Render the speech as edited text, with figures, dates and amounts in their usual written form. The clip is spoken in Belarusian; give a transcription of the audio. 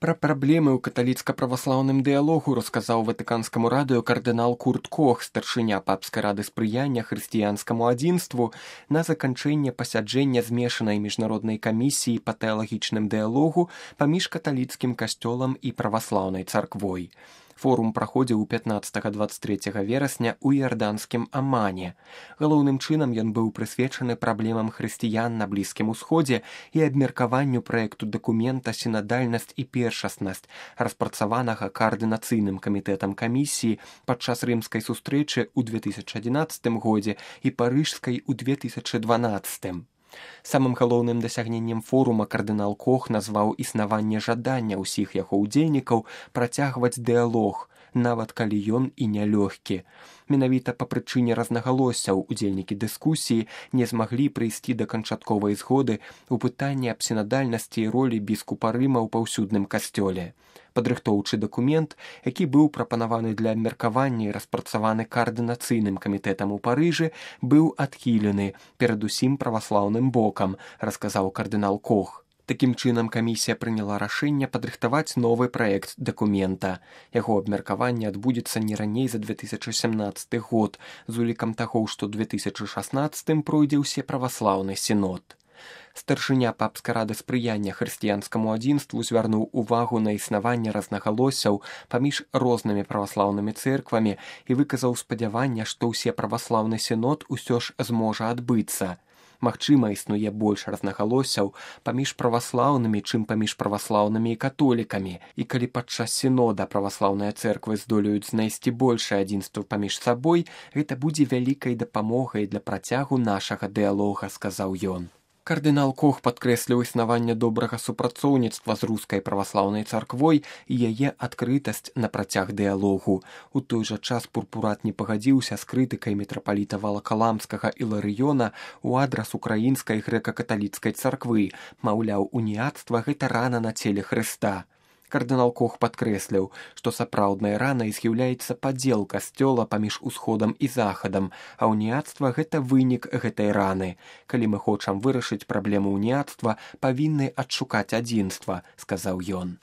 Пра праблемы ў каталіцка-праваслаўным дыялогу расказаў ватыканскаму радыё кардынал Курт Кох, старшыня папскай рады спрыяння хрысціянскаму адзінству, на заканчэнне пасяджэння змешанай міжнароднай камісіі па тэалагічным дыялогу паміж каталіцкім касцёлам і праваслаўнай царквой. Форум праходзіў 15-23 верасня ў іарданскім Амане. Галоўным чынам ён быў прысвечаны праблемам хрысціян на Блізкім Усходзе і абмеркаванню праекту дакумента «Сінадальнасць і першаснасць», распрацаванага каардынацыйным камітэтам камісіі падчас рымскай сустрэчы ў 2011 годзе і парыжскай у 2012. Самым галоўным дасягненнем форума кардынал Кох назваў існаванне жадання ўсіх яго ўдзельнікаў працягваць дыялог, нават калі ён і нялёгкі. Менавіта па прычыне рознагалоссяў удзельнікі дыскусіі не змаглі прыйсці да канчатковай згоды ў пытанні аб сінадальнасці і ролі біскупа Рыма ў паўсюдным касцёле. Падрыхтоўчы дакумент, які быў прапанаваны для абмеркавання і распрацаваны каардынацыйным камітэтам у Парыжы, быў адхілены перадусім праваслаўным бокам, расказаў кардынал Кох. Такім чынам камісія прыняла рашэнне падрыхтаваць новы праект дакумента. Яго абмеркаванне адбудзецца не раней за 2017 год, з улікам таго, што ў 2016 пройдзе ўсеправаслаўны сінод. Старшыня папскай рады спрыяння хрысціянскаму адзінству звярнуў увагу на існаванне рознагалоссяў паміж рознымі праваслаўнымі цэрквамі і выказаў спадзяванне, што ўсеправаслаўны сінод усё ж зможа адбыцца. Магчыма, існуе больш рознагалоссяў паміж праваслаўнымі, чым паміж праваслаўнымі і католікамі, і калі падчас сінода праваслаўныя цэрквы здолеюць знайсці большае адзінства паміж сабой, гэта будзе вялікай дапамогай для працягу нашага дыялога, сказаў ён. Кардынал Кох падкрэсліў існаванне добрага супрацоўніцтва з рускай праваслаўнай царквой і яе адкрытасць на працяг дыялогу. У той жа час пурпурат не пагадзіўся з крытыкай мітрапаліта Валакаламскага Іларыёна ў адрас украінскай грэка-каталіцкай царквы, маўляў, уніяцтва гэта рана на целе Хрыста. Кардынал Кох падкрэсліў, што сапраўднай ранай з'яўляецца падзел касцёла паміж усходам і захадам, а уніяцтва гэта вынік гэтай раны. Калі мы хочам вырашыць праблему уніяцтва, павінны адшукаць адзінства, сказаў ён.